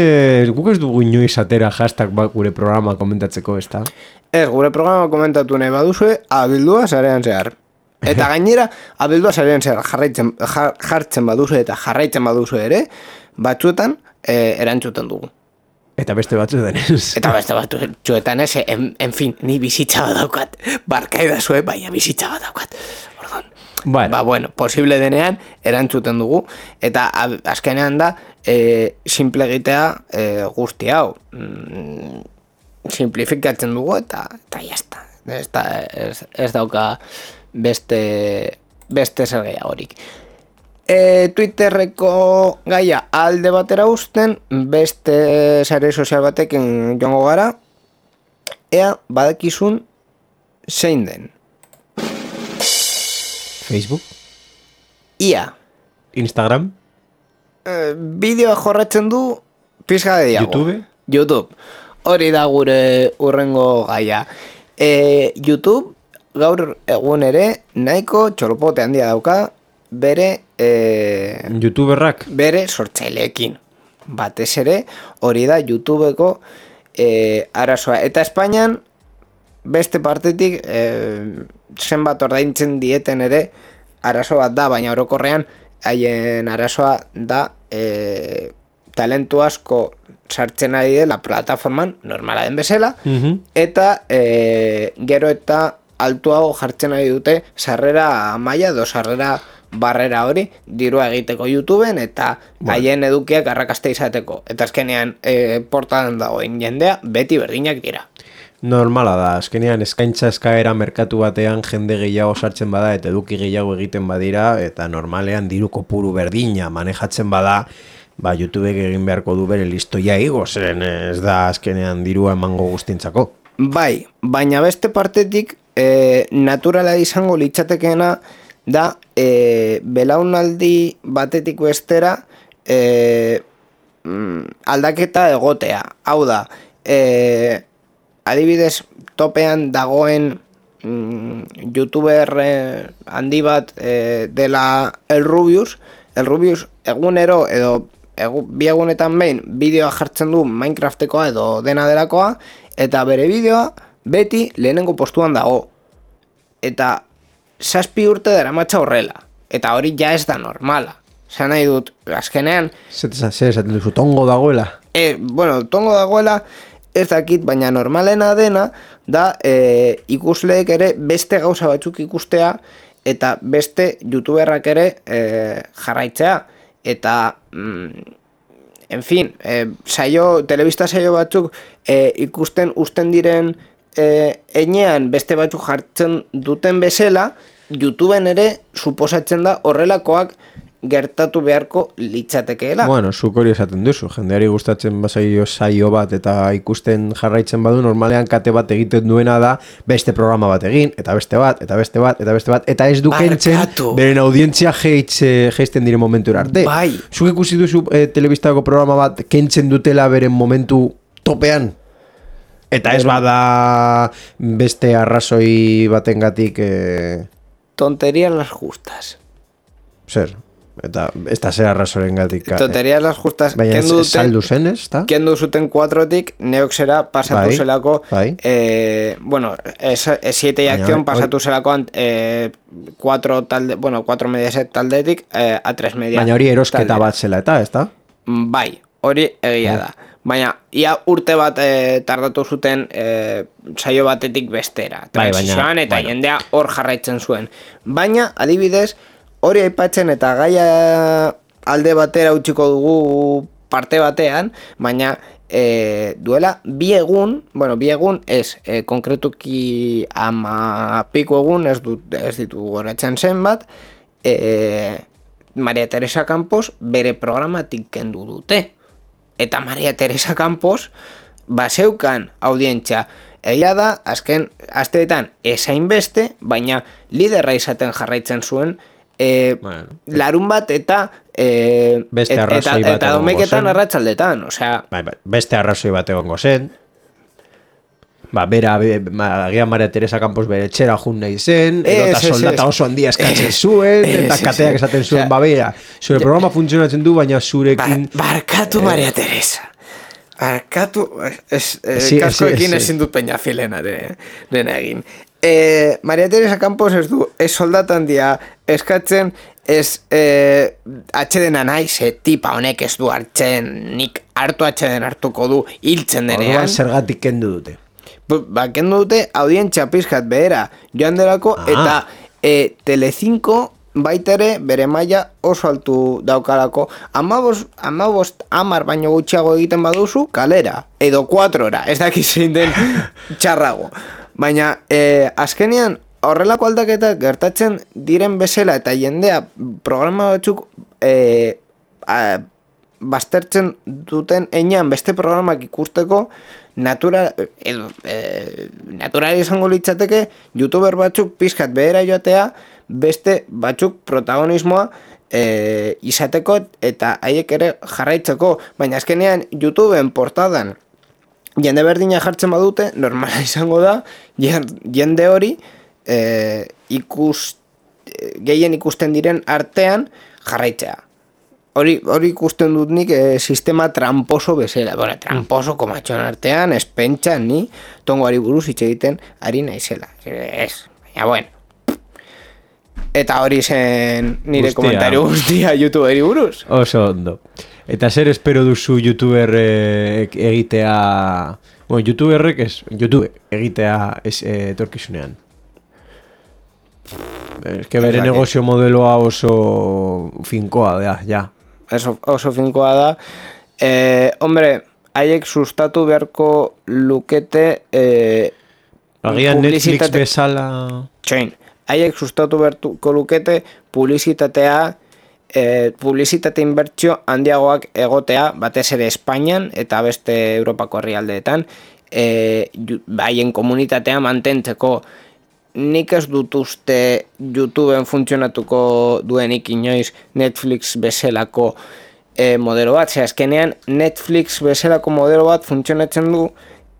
guk ez dugu inoiz atera hashtag bat gure programa komentatzeko, ez da? Ez, gure programa komentatu nahi baduzue, abildua sarean zehar. Eta gainera, abildua sarean zehar jartzen baduzue eta jarraitzen baduzue ere, batzuetan erantzuten dugu. Eta beste batzuetan ez. Eta beste batzuetan ez, en fin, ni bizitza bat daukat. Barkaida zuen, baina bizitza bat daukat. Orduan, bueno, posible denean erantzuten dugu. Eta azkenean da, simple egitea guzti hau. Simplifikatzen dugu eta jazta. Ez dauka beste zer gehiagorik. Twitterreko gaia alde batera uzten, beste sare sozial batekin joango gara, ea badakizun zein den. Facebook? Ia. Instagram? Bideoa jorratzen du pizka de diago. YouTube. Hori da gure urrengo gaia. YouTube gaur egun ere nahiko txolopote handia dauka, bere YouTuberrak bere sortzaileekin. Batez ere hori da YouTubeko arazoa. Eta Espainian beste partetik zenbat ordaintzen dieten ere arazo bat da, baina orokorrean haien arazoa da talentu asko sartzen ari dela plataforman, normala den bezala, eta gero eta altuago jartzen ari dute sarrera maila edo sarrera barrera hori dirua egiteko YouTubeen eta haien edukiak arrakasta izateko. Eta azkenean portadan dagoen jendea beti berdinak dira. Normala da, azkenean eskaintza eskaera merkatu batean jende gehiago sartzen bada eta eduki gehiago egiten badira eta normalean diru kopuru berdina manejatzen bada, YouTubek egin beharko du bere listoia igo, zeren ez da azkenean dirua emango guztintzako. Bai, baina beste partetik naturala izango litzatekeena da belaunaldi batetik bestera aldaketa egotea. Hau da, adibidez topean dagoen youtuber handi bat dela el Rubius egunero edo bi egunetan behin bideoa jartzen du Minecraftekoa edo dena delakoa eta bere bideoa beti lehenengo postuan dago. Eta 7 urte daramatza horrela. Eta hori ja ez da normala. Zan nahi dut, azkenean... Zer esaten duzu, tongo dagoela? Tongo dagoela ez dakit, baina normalena dena da ikusleek ere beste gauza batzuk ikustea eta beste youtuberrak ere jarraitzea. Eta, en fin, telebista saio batzuk ikusten usten diren enean beste batzuk jartzen duten bezala, YouTubeen ere suposatzen da horrelakoak gertatu beharko litzatekeela. Bueno, zuk hori esaten duzu, jendeari gustatzen bazaio saio bat eta ikusten jarraitzen badu, normalean kate bat egiten duena da beste programa bat egin, eta beste bat, eta beste bat, eta beste bat, eta ez du kentzen beren audientzia geisten diren momentu arte. Bai. Zuk ikusi duzu telebistako programa bat kentzen dutela beren momentu topean? Eta ez bada beste arrazoi batengatik... Tonterías las justas. Zer? Eta ez da zer arrazoren gatik. Tonterías las justas. Baina saldu zen, ez da? Kendu zuten 4-tik, neok zera pasatu zelako... Bueno, 7 y acción pasatu zelakoan 4 talde... Bueno, 4 Mediaset taldetik a 3 media... Baina hori erosketa bat zela eta, ez da? Bai, hori egia da. Baina, ia urte bat tardatu zuten saio batetik bestera. Transizioan eta jendea hor jarraitzen zuen. Baina, adibidez, hori aipatzen eta gaia alde batera utziko dugu parte batean, baina duela bi egun ez, konkretuki 10 piko egun, ez ditu goratzen zenbat, Maria Teresa Campos bere programatik kendu dute. Eta Maria Teresa Campos baseukan audientzia. Egia da, azken asteetan esain beste, baina liderra izaten jarraitzen zuen larun bat eta eta domeketan arratsaldetan, osea... Beste arrazoi bat egongo zen. Agian Maria Teresa Campos bere etxera jun nahi zen, edota soldata oso handia eskatzen zuen, eta kateak esaten zuen, zure programa funtzionatzen du, baina zurekin... Barkatu Maria Teresa. Barkatu... Kaskoekin ezin dut peña filena dena egin. Maria Teresa Campos ez du, ez soldata handia eskatzen, ez atxedena nahi, tipa honek ez du hartzen, nik hartu atxeden hartuko du, hiltzen denean. Orduan zergatik kendu dute. Kendu dute audientzia pizkat behera joan delako eta Telecinco baitere bere maila oso altu daukalako. 10 baino gutxiago egiten baduzu kalera, edo 4 ora, ez dakiz zein den txarrago. Baina azkenean horrelako aldaketak gertatzen diren bezala eta jendea programa batzuk baztertzen duten enean beste programak ikusteko natural izango litzateke youtuber batzuk pizkat behera joatea beste batzuk protagonismoa izateko eta haiek ere jarraitzeko, baina azkenean YouTubeen portadan jende berdina jartzen badute, normala izango da jende hori gehien ikusten diren artean jarraitzea. Hori ikusten dut nik sistema tramposo bezala. Bueno, tramposo komatxon artean, espentsan ni tongoari buruz hitz egiten ari naizela. Ez, baina bueno. Eta hori zen nire Guztia. komentario guztia YouTuberi buruz. Oso ondo. Eta zer espero duzu YouTuber egitea... Bueno, YouTuberrek ez, YouTube egitea etorkizunean. Es que bere negozio modeloa oso finkoa da, ja. Oso finkoa da. Hombre, haiek sustatu beharko lukete Agian Netflix bezala... Txoin, haiek sustatu beharko lukete publizitatea, publizitate inbertsio handiagoak egotea, batez ere Espainian eta beste Europako herrialdeetan, haien komunitatea mantentzeko. Nik ez dut uste YouTubeen funtzionatuko duenik inoiz Netflix bezalako modelo bat. Azkenean Netflix bezalako modelo bat funtzionatzen du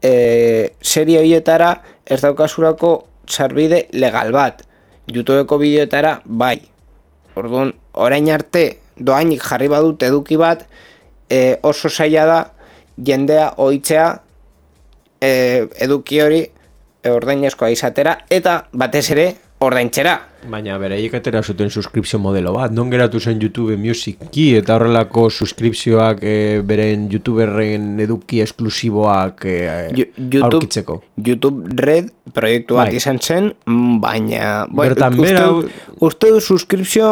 serie horietara ez daukasurako sarbide legal bat. YouTubeko bideoetara bai. Orduan, orain arte doainik jarri badut eduki bat, oso zaila da jendea ohitzea eduki hori ordainezkoa izatera eta batez ere ordaintzera. Baina beraiek atera zuten suskripzio modelo bat, non geratu zen YouTube Music-ki eta horrelako suskripzioak beren YouTuberren eduki esklusiboak aurkitzeko. YouTube Red proiektu bat izan zen, baina... Bertan bera... Uste du suskripzio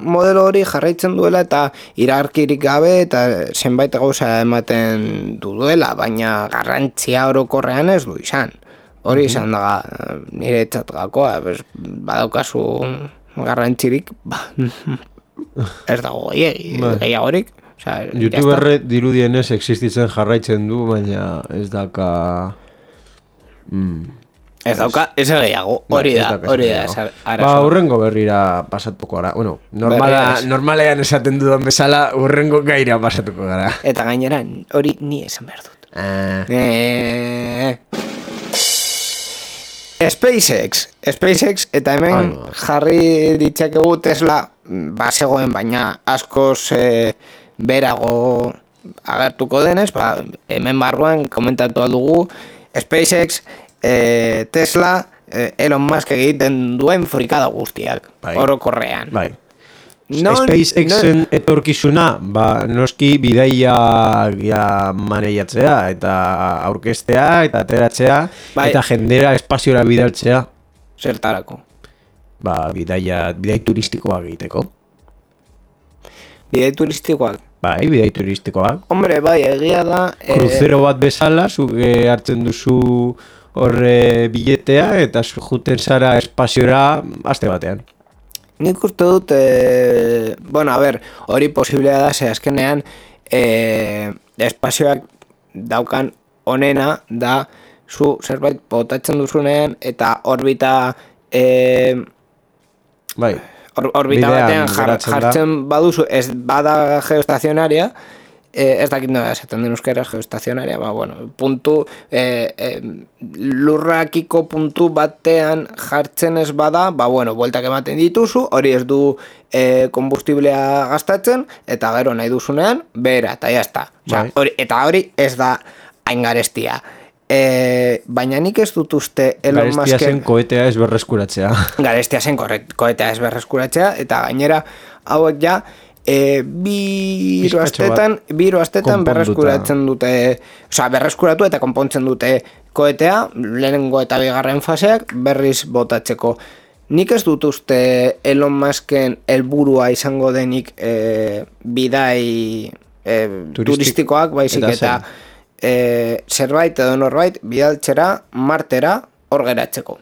modelo hori jarraitzen duela eta iragarkirik gabe eta zenbait gauza ematen duela, baina garrantzia orokorrean ez du izan. Hori izan da nire txatgakoa, badaukazu garrantzirik, ez dago gehiagorik. YouTuberre dirudienez existitzen jarraitzen du, baina ez daka... Ez dauka, ez gehiago, hori da. Urrengo berrira pasatuko gara. Bueno, normalean esaten dudan bezala, urrengo gaira pasatuko gara. Eta gainera, hori ni esan behar dut. SpaceX, eta hemen jarri ditzakegu Tesla bazegoen, baina askoz berago agertuko denez, hemen barruan komentatu dugu SpaceX, Tesla, Elon Musk egiten duen frikada guztiak, orokorrean. Bai. SpaceXen etorkizuna, noski bidaia maneiatzea eta aurkeztea eta ateratzea eta jendera espaziora bidaltzea. Zertarako? Bidai turistikoak egiteko. Bidai turistikoak? Bai, bidai turistikoak. Hombre, bai, egia da... Kruzero bat bezala, hartzen duzu horre biletea eta juten zara espaziora aste batean. Nik uste dut, hori posiblea da, ze azkenean espazioak daukan onena da zu zerbait botatzen duzunean eta orbita orbita batean jartzen baduzu, ez bada geostazionaria, ez dakit nola esaten den euskaraz geostazionaria, puntu, lurrakiko puntu batean jartzen ez bada, bueltak ematen dituzu, hori ez du kombustiblea gastatzen, eta gero nahi duzunean, bera, eta jazta. Eta hori ez da hain garestia. Baina nik ez dut uste Elon Musken... Garestia zen koetea ez berreskuratzea. Garestia zen koetea ez berreskuratzea, eta gainera hauek ja, biru astetan berreskuratzen dute, berreskuratu eta konpontzen dute koetea, lehenengo eta bigarren faseak berriz botatzeko. Nik ez dut uste Elon Musken helburua izango denik bidai turistikoak, baizik eta zerbait edo norbait bidaltzera Martera hor geratzeko.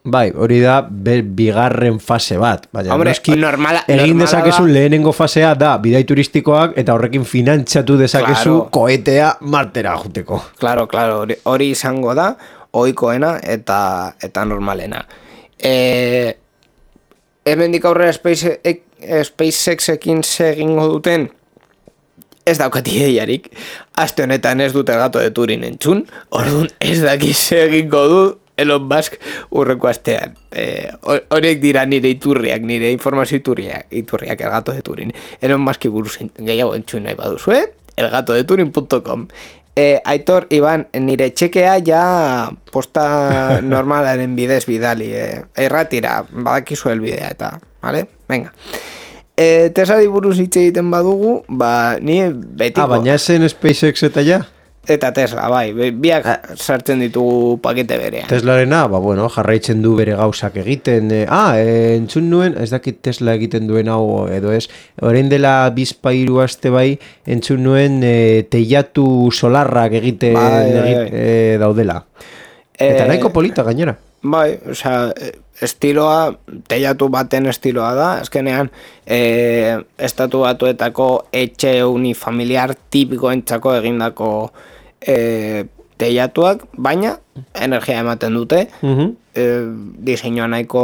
Bai, hori da bigarren fase bat. Hombre, egin dezakezu lehenengo fasea da bidai turistikoak eta horrekin finantzatu dezakezu koetea Martera juteko. Claro, hori izango da, ohikoena eta normalena. Hemendik aurrera SpaceXekin segingo duten, ez daukat ideiarik. Aste honetan ez dute Gato de Turin entzun, orduan ez dakiz egingo du Elon Musk urreko astean. Horiek dira nire iturriak, nire informazio iturriak El Gato de Turin. Elon Musk buruz gehiago entzun nahi baduzu, elgatodeturin.com. Aitor, Iban, nire txekea ja posta normalaren bidez bidali. Erratira, badakizu elbidea eta, vale? Venga. Teslari buruz hitz egiten badugu, ni betiko... baina esen SpaceX eta ja? Eta Tesla, bai, biak sartzen ditugu pakete berean. Teslarena, jarraitzen du bere gauzak egiten. Entzun nuen, ez dakit Tesla egiten duen hau edo ez, orain dela bizpairu aste bai, entzun nuen teilatu solarrak egiten daudela. Eta nahiko polita gainera. Bai, osea, estiloa, teilatu baten estiloa da, azkenean estatu batuetako etxe unifamiliar tipikoentzako egindako teilatuak, baina energia ematen dute, diseinua nahiko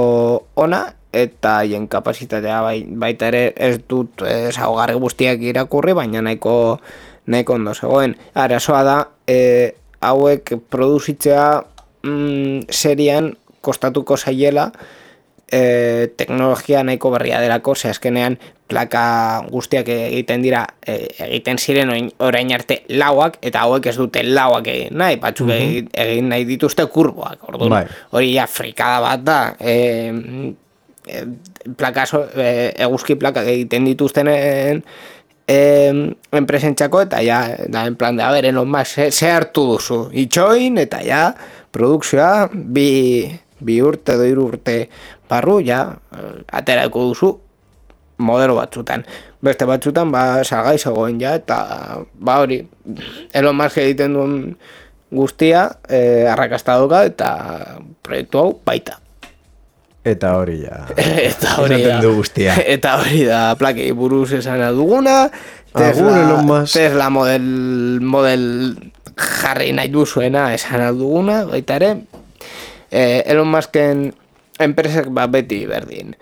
ona, eta haien kapasitatea baita ere ez dut ezaugarri guztiak irakurri, baina nahiko ondo zegoen. Arazoa da, hauek produzitzea serian kostatuko zaiela teknologia nahiko berria delako, ze azkenean plaka guztiak egiten dira, egiten ziren orain arte lauak, eta hauek ez dute lauak egin nahi, batzuk egin nahi dituzte kurboak, orduan, hori ja frikada bat da, eguzki plakak egiten dituztenen enpresentzako, eta ja, da en plan de, a ber, Elon Musk, ze hartu duzu, itxoin, eta ja, produkzioa, bi urte edo 3 urte barru, ja, aterako duzu modelo batzutan. Beste batzutan, salgai zegoen ja, eta hori, Elon Musk egiten duen guztia, arrakasta dauka, eta proiektu hau baita. Eta hori ja. Eta hori da plakei buruz esan duguna, Tesla model jarri nahi duzuena esan duguna, baita ere, Elon Musken enpresak beti berdin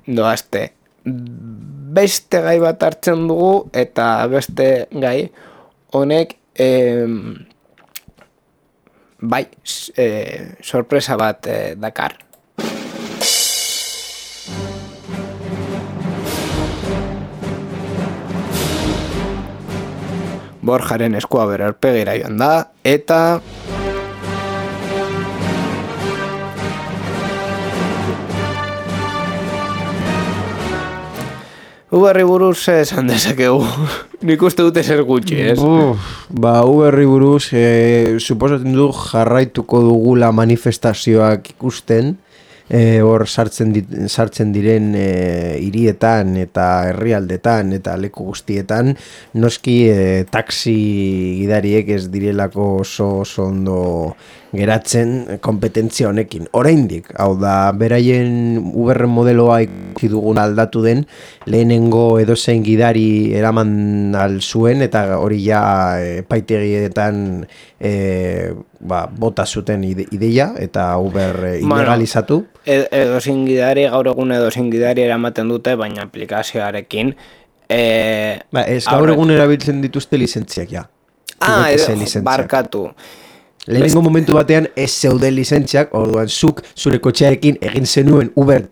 doazte. Beste gai bat hartzen dugu, eta beste gai honek sorpresa bat dakar. Borjaren eskua bere aurpegira joan da, eta... Uberri buruz esan dezakegu. Nik uste dute zer gutxi, ez? Uberri buruz, suposatzen du jarraituko dugula manifestazioak ikusten, hor sartzen diren hirietan eta herrialdetan eta leku guztietan, noski taxi gidariek ez direlako oso ondo geratzen kompetentzia honekin. Oraindik, hau da, beraien Uberren modeloa ikusi dugun aldatu den, lehenengo edozein gidari eraman zuen, eta hori ja epaitegietan bota zuten ideia, eta Uber ilegalizatu. Edozein gidari, gaur egun edozein gidari eramaten dute, baina aplikazioarekin... gaur egun erabiltzen dituzte lizentziak, ja. Barkatu. Lehenengo momentu batean ez zeuden lizentziak, orduan zuk zure kotxearekin egin zenuen Uber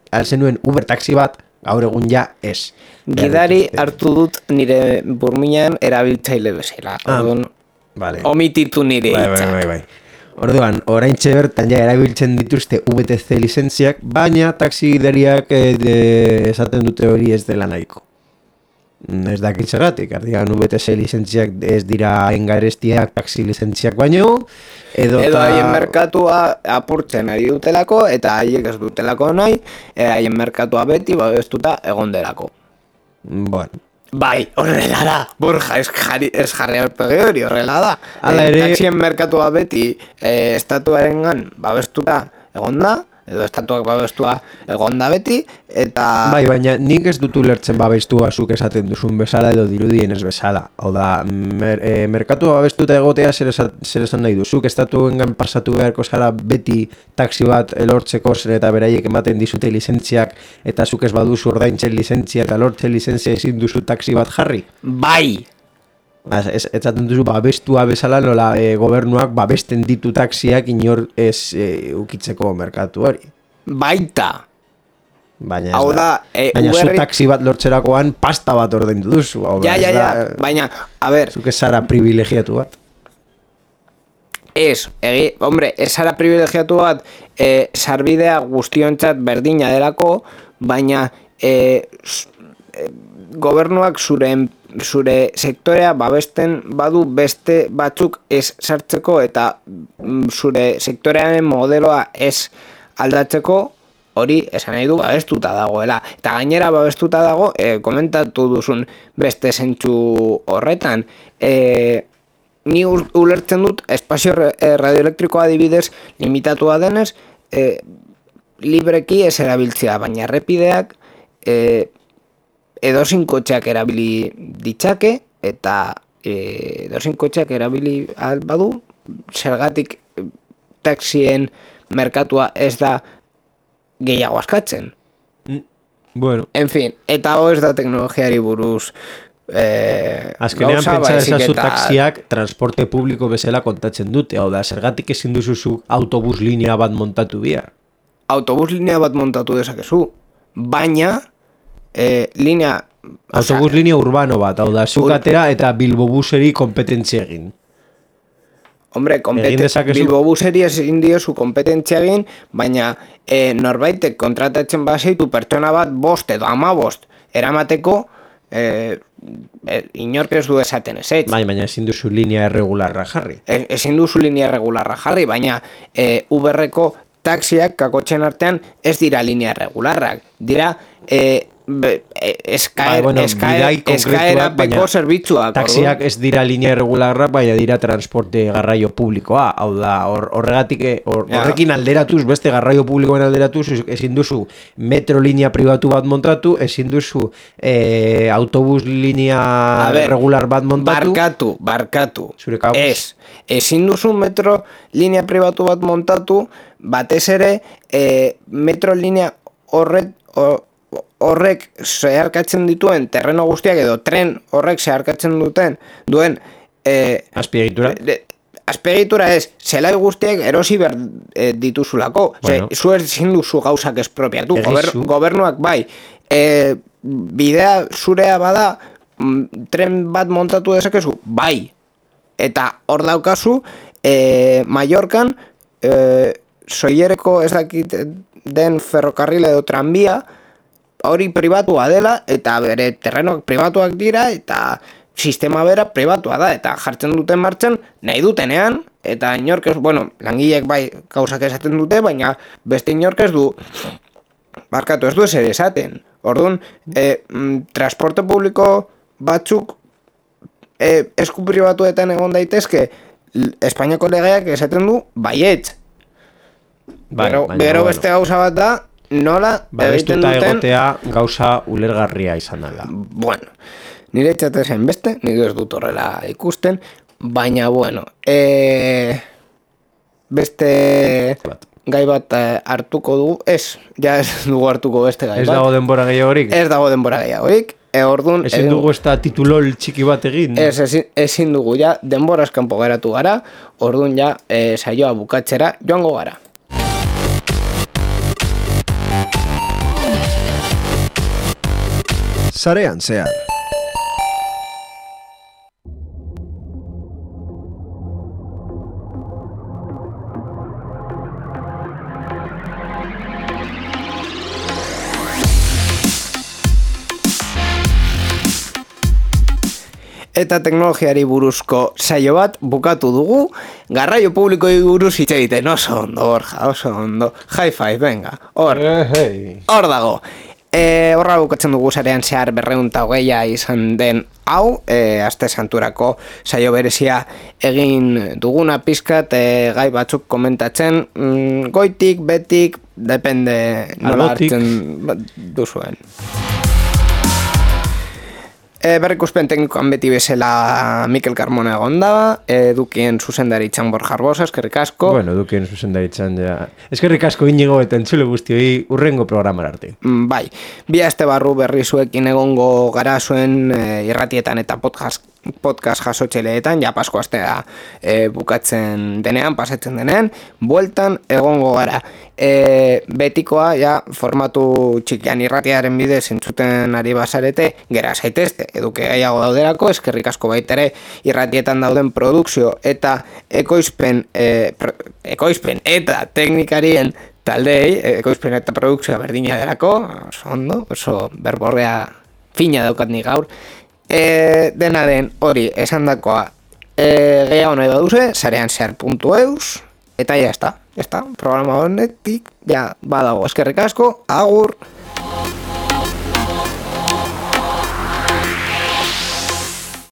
taxi bat, gaur egun ja ez. Gidari hartu dut nire burminan erabiltzaile bezala. Orduan, omititu nire hitza. Bai. Orduan, oraintxe bertan ja erabiltzen dituzte VTC lizentziak, baina taxi gidariak esaten dute hori ez dela nahiko. Ez dakitzagatik, ardian VTC lizentziak ez dira engarestiak taxi lizentziak baino, edo haien merkatua apurtzen ari dutelako, eta haiek ez dutelako nahi, haien merkatua beti babestuta egon delako. Bueno. Bai, horrela da, Borja, ez jarri aurpegi hori, horrela da. Taxien merkatua beti estatuarengan babestuta egon da, edo estatuak babestua egonda beti, eta... Bai, baina nik ez dutu lertzen babestua zuk esaten duzun bezala edo dirudien ez bezala. Hau da, merkatua babestuta egotea zer esan nahi du. Zuk estatuengan pasatu beharko zara beti taxi bat elortzeko zer eta beraiek ematen dizute lizentziak, eta zuk ez baduzu ordaintzen lizentzia eta lortzen lizentzia ezin duzu taxi bat jarri. Bai! Etzaten duzu babestua bezala nola gobernuak babesten ditu taxiak inor ez ukitzeko merkatu hori. Baita! Baina hau da, baina zu taxi bat lortzerakoan pasta bat ordaindu duzu. Ja, baina, a ber... Zuk ez zara privilegiatu bat. Hombre, ez zara privilegiatu bat, sarbidea guztiontzat berdina delako, baina gobernuak zure sektorea babesten badu beste batzuk ez sartzeko eta zure sektorearen modeloa ez aldatzeko, hori esan nahi du babestuta dagoela. Eta gainera babestuta dago, komentatu duzun beste zentsu horretan, ni ulertzen dut espazio radioelektrikoa adibidez limitatua denez, libreki ez erabiltzea, baina errepideak edozein kotxeak erabili ditzake eta edozein kotxeak erabili badu, zergatik taxien merkatua ez da gehiago askatzen. Bueno. En fin, eta ez da teknologiari buruz azkenean pentsa ezazu taxiak transporte publiko bezala kontatzen dute, hau da, zergatik ezin duzu autobus linea bat montatu bihar? Autobus linea bat montatu dezakezu, baina linea... Autobus linea urbano bat, hau da, zukatera eta Bilbobuseri kompetentzia egin. Hombre, Bilbobuseri ezin diozu kompetentzia egin, baina norbaitek kontratatzen bazaitu pertsona bat 5 edo 15 eramateko, inork ez du esaten ez. Baina ezin duzu linea irregularra jarri. Ezin duzu linea irregularra jarri, baina Uberreko taxiak kakotxen artean ez dira linea irregularrak. Dira eskaerapeko zerbitzuak. Taxiak ez dira linea irregularra, baina dira transporte garraio publikoa. Hau da, horrekin alderatuz, beste garraio publikoen alderatuz, ezin duzu metro linea pribatu bat montatu, ezin duzu autobus linea regular bat montatu. Barkatu. Ezin duzu metro linea pribatu bat montatu, batez ere metro linea horrek zeharkatzen dituen terreno guztiak edo tren horrek zeharkatzen duen azpiegitura? Azpiegitura ez, zelai guztiak erosi behar dituzulako. Zu ezin duzu gauzak espropiatu. Gobernuak bai, bidea zurea bada, tren bat montatu dezakezu, bai. Eta hor daukazu, Mallorcan, soiereko ez dakit den ferrokarril edo tranbia, hori pribatua dela, eta bere terrenoak pribatuak dira, eta sistema bera pribatua da, eta jartzen duten martxan nahi dutenean, eta inork ez, langileek bai gauzak esaten dute, baina beste inork ez du, barkatu ez du ezer esaten. Orduan, transporte publiko batzuk esku pribatuetan egon daitezke, Espainiako legeak esaten du baietz. Gero beste gauza bat da, nola egiten duten... egotea gauza ulergarria izan dela. Bueno, nire txatezen beste, nire ez dut horrela ikusten, baina beste gai bat hartuko dugu, ez dugu hartuko beste gai bat. Ez dago denbora gehiagorik? Ez dago denbora gehiagorik. Ezin dugu ez da titulol txiki bat egin? Ezin dugu ja, denbora eskanpo geratu gara, orduan ja saioa bukatzera joango gara. Sarean zehar. Eta teknologiari buruzko saio bat bukatu dugu, garraio publikoi buruz hitz egiten, oso ondo, Borja, oso ondo, high five, venga, hor dago. Horra bukatzen dugu Sarean zehar 220 izan den hau, aste santurako saio berezia egin duguna pizkat, gai batzuk komentatzen, goitik, betik, depende nola hartzen duzuen. Berrikuspen teknikoan beti bezala Mikel Carmona egon daba, Edukien zuzendaritzan Borja Arbosa, eskerrik asko. Bueno, Edukien zuzendaritzan ja. Eskerrik asko inigo eta entzule guztioi urrengo programar arte. Bai, bi aste barru berri zuekin egongo gara zuen irratietan eta podcast jasotxeleetan, ja pasko astea bukatzen denean, pasatzen denean, bueltan egongo gara. Betikoa, ja, formatu txikian irratiaren bidez entzuten ari bazarete, gera zaitezte, eduke gaiago dauderako, eskerrik asko baitere irratietan dauden produkzio eta ekoizpen eta teknikarien taldei, ekoizpen eta produkzioa berdina derako, oso ondo, oso berborrea fina daukat ni gaur. Dena den hori esandakoa gehiago nahi baduze, sarean zehar.eus, eta ya está, programa honetik, ja, badago, eskerrik asko, agur!